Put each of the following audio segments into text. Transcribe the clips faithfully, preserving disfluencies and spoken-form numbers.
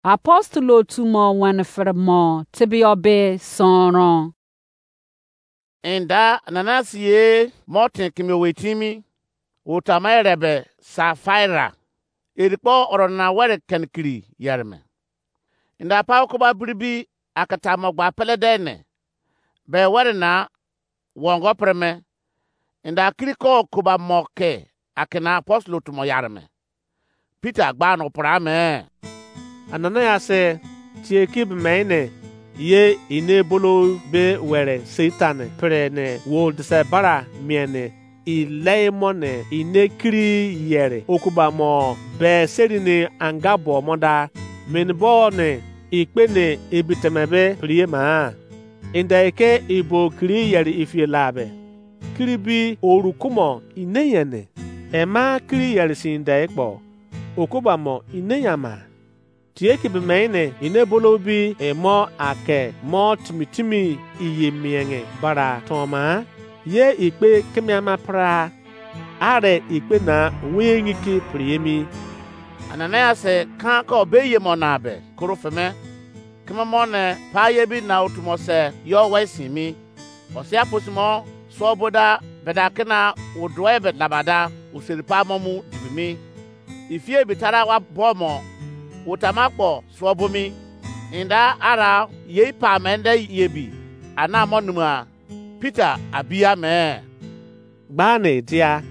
Apostle otu mo wene fere mo tebio be sonron. Enda Ananias ye mo ten keme owei timi, otama erebe Safaira, eri kpo oro nana were kenikiri yere me. Enda pa okoba biribi akata mo gba pele de ne, be were na wongo pre me, enda kiri ko okoba mo ke akena apostle otu mo yare me. Peter gba no pra me. Ananias, tie ki be me ne, ye ine bolo be were Satan pre ne wo dise bara mie ne, ilei mo ne ine kiri yere okuba mo be seri ni anga bo mo da, meni bo ne ikpe ne ebi teme be priye ma. Inde ke ibo kiri yere ifie la be, kiri bi oru kumo ine yene, ema kiri yere sin de kpo, okuba mo ine yama. Tie ki be me ne ine bolo bi emo ake mo timi timi iye mienge bara toma, ye ikpe kemiama pra, are ikpe na wengi ki priemi. Ananias kan ko be ye mo na be koro feme, keme mo ne pa ye bi na otu mo se yo we sin mi. Osia posimo suo boda beda kena uduoe be labada useri pa mo mu dibimi. Ifie bi tara wa bo mo, utama kpo suo bo mi. Inda ara yei pa mende yebi, ana mo numa. Peter abia me. Gbane dia,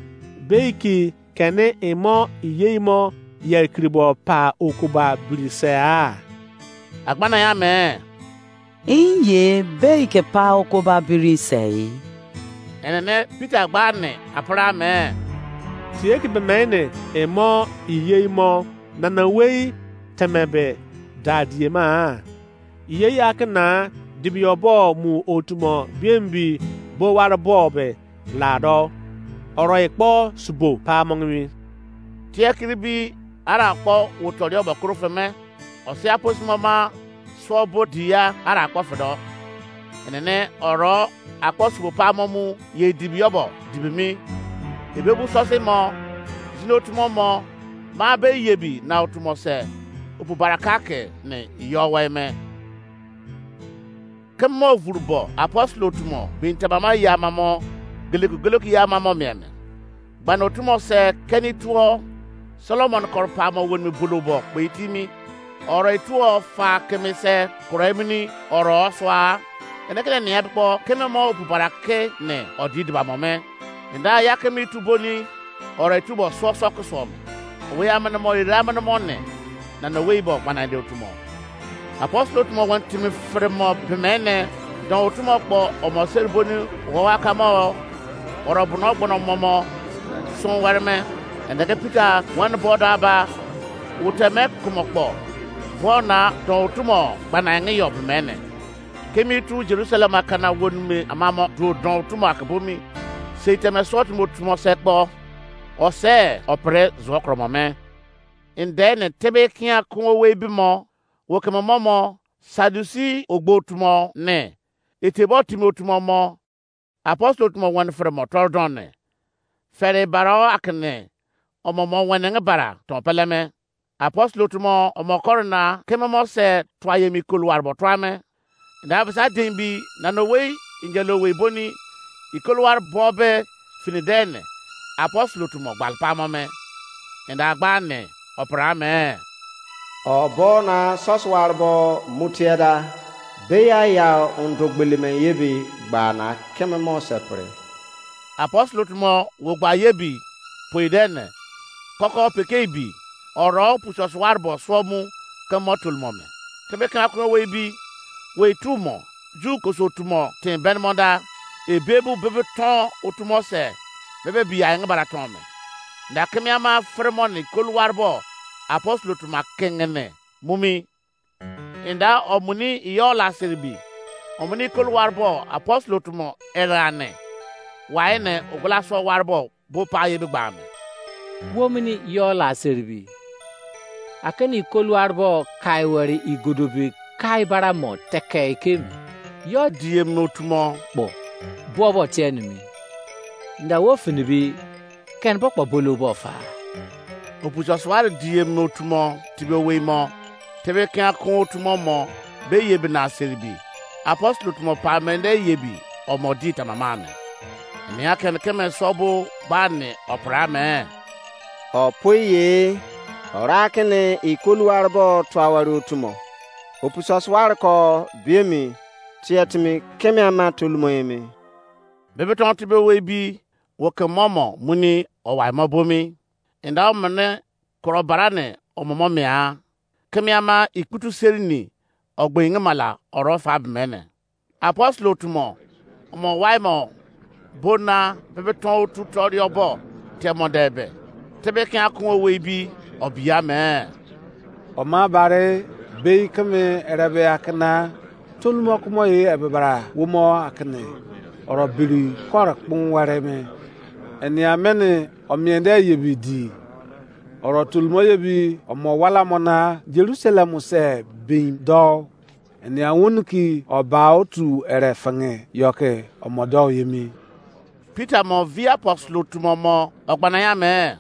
beiki kene imo iyeimo yekiribo pa okuba biri se a? Agbana ya me. Inye beike pa okuba biri sei. Enene Peter gba ne apara me. Tie ki be me ne imo iyeimo nana wei teme be da die ma. Iye ya ke na dibio bo mu otu mo biembi bo ware bo be lado. Oro ikpo subo pa mongimi. Tie kiri bi ara kpo wotorio bo koro feme. Osia posimo ma suo bo dia ara kpo fedo. Enene oro akpo subo pa mo mu ye dibio bo dibimi. Ebe bu sose mo, zino tumo mo, ma be yebi na otu mo se, opu baraka ke ne iyo wai me. Keme mo vuru bo apostle otu mo bin tabama ya mamo, geleku geleku ya mamo mie me. Gbana otu mo se keni tuo Solomon koro pa mo wonimi bulu bo kpe itimi. Oro ituo fa keme se koro emini oro sua. Ene kene nia bikpo keme mo opu barake ne odi diba mo me. Enda ya keme itu boni oro itu bo suo suo kusuo me. Owe amene mo ire amene mo ne na no wei bo gbana ende otu mo. Apostle otu mo wan timi fere mo bemene don otu mo kpo omo seri boni wowa kamo oro bono gbono momo sun were me. Ende ke Peter wan bo da ba uteme kumo kpo bo na don otu mo gbana enge yo bemene. Kemi tu Jerusalem akana wonimi amamo duo don otu mo akebomi. Sei teme sot mo otu mo se kpo ose opere zuo kromo me. Ende ne tebe kia kun owei bimo, wo keme mo mo, Sadusi ogbo otu mo ne, etebo timi otu mo mo, apostle otu mo wan fere mo toro don ne. Fere barao akene omo mo wenenge bara ton peleme. Apostle otu mo omo koro na keme mo se tua yemi koluwar bo tua me. Enda bisa din bi na no wei injelo wei boni ikoluwar bo be fini de ne apostle otu mo gbal pamo me. Enda gba ne opra me. Obo na sosuwar bo mutieda beya ya undo gbelime yebi gba na keme mo sepre. Apostle otu mo wo gba yebi poi de ne koko peke ibi oro puso suwar bo suo mu ke mo tolomo me. Tebe kena koro wei bi wei tu mo ju koso tu mo ten ben mo da ebe bu bebe ton otu mo se bebe bi ai nge bara ton me. Nda keme ama fere mo ne koluwar bo apostle otu ma kengene mumi. Inda omuni iyo la seribi omuni koluwar bo apostle otu mo erane. Wai ne ogula so war bo bo pa ye be gba me. Wo mini yo la seribi. Akeni ikoluwar bo kai weri igodobi kai bara mo teke ikemi. Yo diem no tumo kpo. Buo bo tie nimi. Nda wo finibi ken bo kpo bolo bo fa. Opuso suwari diem no tumo tibe wei mo. Tebe kian kun otu mo mo be yebi na seribi. Apostle otu mo pa mende yebi omo di tamama me. Nia ken keme so bo ba ne opra me. Opo ye, ora kene ikoluwar bo tuawari otu mo. Opusos war ko biemi, tie timi keme ama tolumo emi. Bebe ton tibe we bi, wo ke momo muni owai mo bomi. Inda omene koro barane omomo mia. Keme ama ikputu serini ogbengi mala oro fa bemene. Apostle otu mo, omo wai mo, bona bebe ton otu torio bo, temo debe. Tebe kian kun owei bi, obia me. Oma bare, bei keme erebe akana, tolumo kumo ye ebebara, womo akene, oro biri kore kpun ware me. Enia mene omiende ye bi di. Oro tolumo ye bi, omo wala mo na, Jerusalem se bin do. Enia wonu ki oba otu ere fenge yoke omo do ye mi. Peter mo vi apostle otu mo mo ogbana ya me.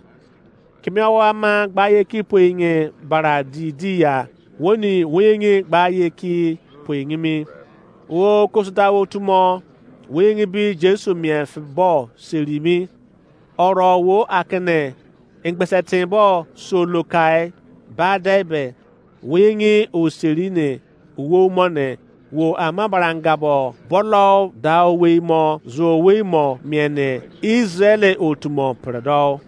Kimi awa ama gba ye ki poinge bara di di ya. Woni weyenge gba ye ki poinge mi. Wo kosuda otu mo, weyenge bi Jesu mien fi bo seri mi. Oro wo akene, engbese tin bo so lokai, ba debe, weyenge oseri ne, uwo mo ne, wo ama baranga bo, bolo da owei mo, zo owei mo, mien ne, Israel otu mo predo.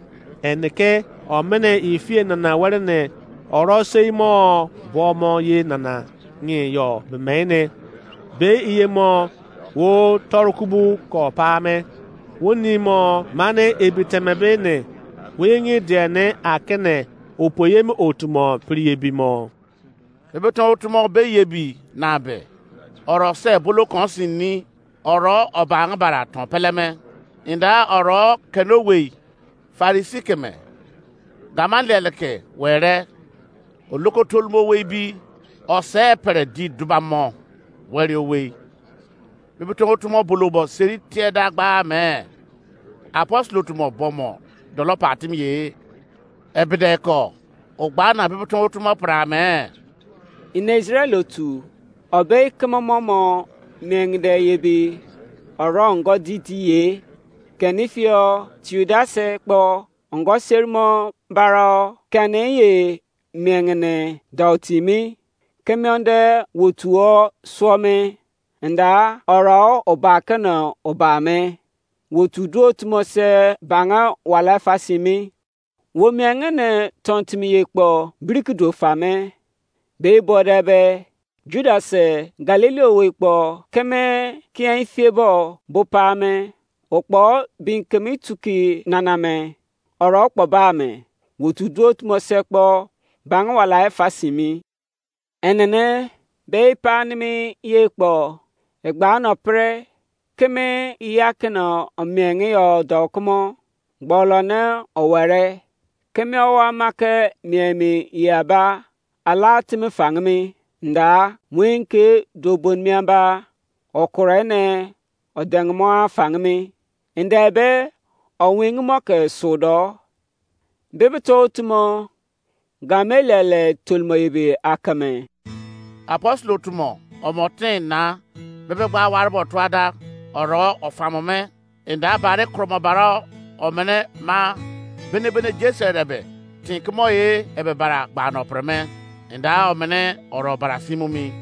Enike, omene ifie nana were ne, oro sei mo, bo mo ye nana, ngi yo, bemene. Be iye mo, wo torukubu ko pa me. Wo ni mo mane ebi teme be ne, wo yengi die ne akene, opo ye mi otu mo pri ebi mo. Ebe ton otu mo be ye bi na be. Oro se bolo kon sin ni, oro oba ngbara ton peleme. Inda oro keno wei, Farisi keme, Gamaliel ke were, oloko tolumo wei bi, ose pere di duba mo, weri owei. Bibitongo otu mo bolo bo seri tie da gba me. Apostle otu mo bo mo dolo pa timi ye. Ebede ko, o gba na bibitongo otu mo pra me. Ine Israel otu, obe keme mo mo mengde ye bi, oro ngo di di ye, keni fio Tiudas kpo ongo seri mo baro keni ye mengene dau timi, keme onde wotuo suo me, nda oro oba kene oba me, wotu duo tumo se bange wala fasimi, wo mengene ton timi ye kpo biriki do fa me, be bode be, Judas Galili owei kpo keme kian fie bo bo pa me, okpo bin kemi tuki nana me, oro kpo ba me, wotu duo tumo se kpo bange wala fasimi. Enene be ipa nimi ye kpo, egba no pre, keme iya kene omienge yo do kumo, gbolo ne owere, keme owa make miemi ye aba, ala timi fangimi, nda, muin ke do bon mi aba, okure ne, odengemo afangimi, nda be, owingi mo ke sudo, bibitongo otu mo, Gamaliel tolumo ebi akeme. Apostle otu mo, omo tin na, bebe gba ware bo tuada, oro ofamo me, inda bare kromo baro, omene ma, bene bene Jesu erebe, tin kumo ye ebe bara gba no pre me, inda omene oro bara simu mi.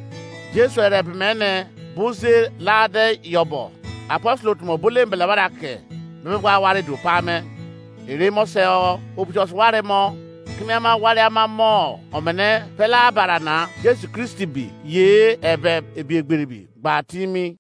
Jesu erebe mene, buze lade yobo, apostle otu mo bole mbele wara ke, bebe gba ware du pa me. Ere mo se o, obutos ware mo, keme ama ware ama mo, omene pela bara na, Jesu Kristi bi, ye ebe ebi egberi bi, gba timi.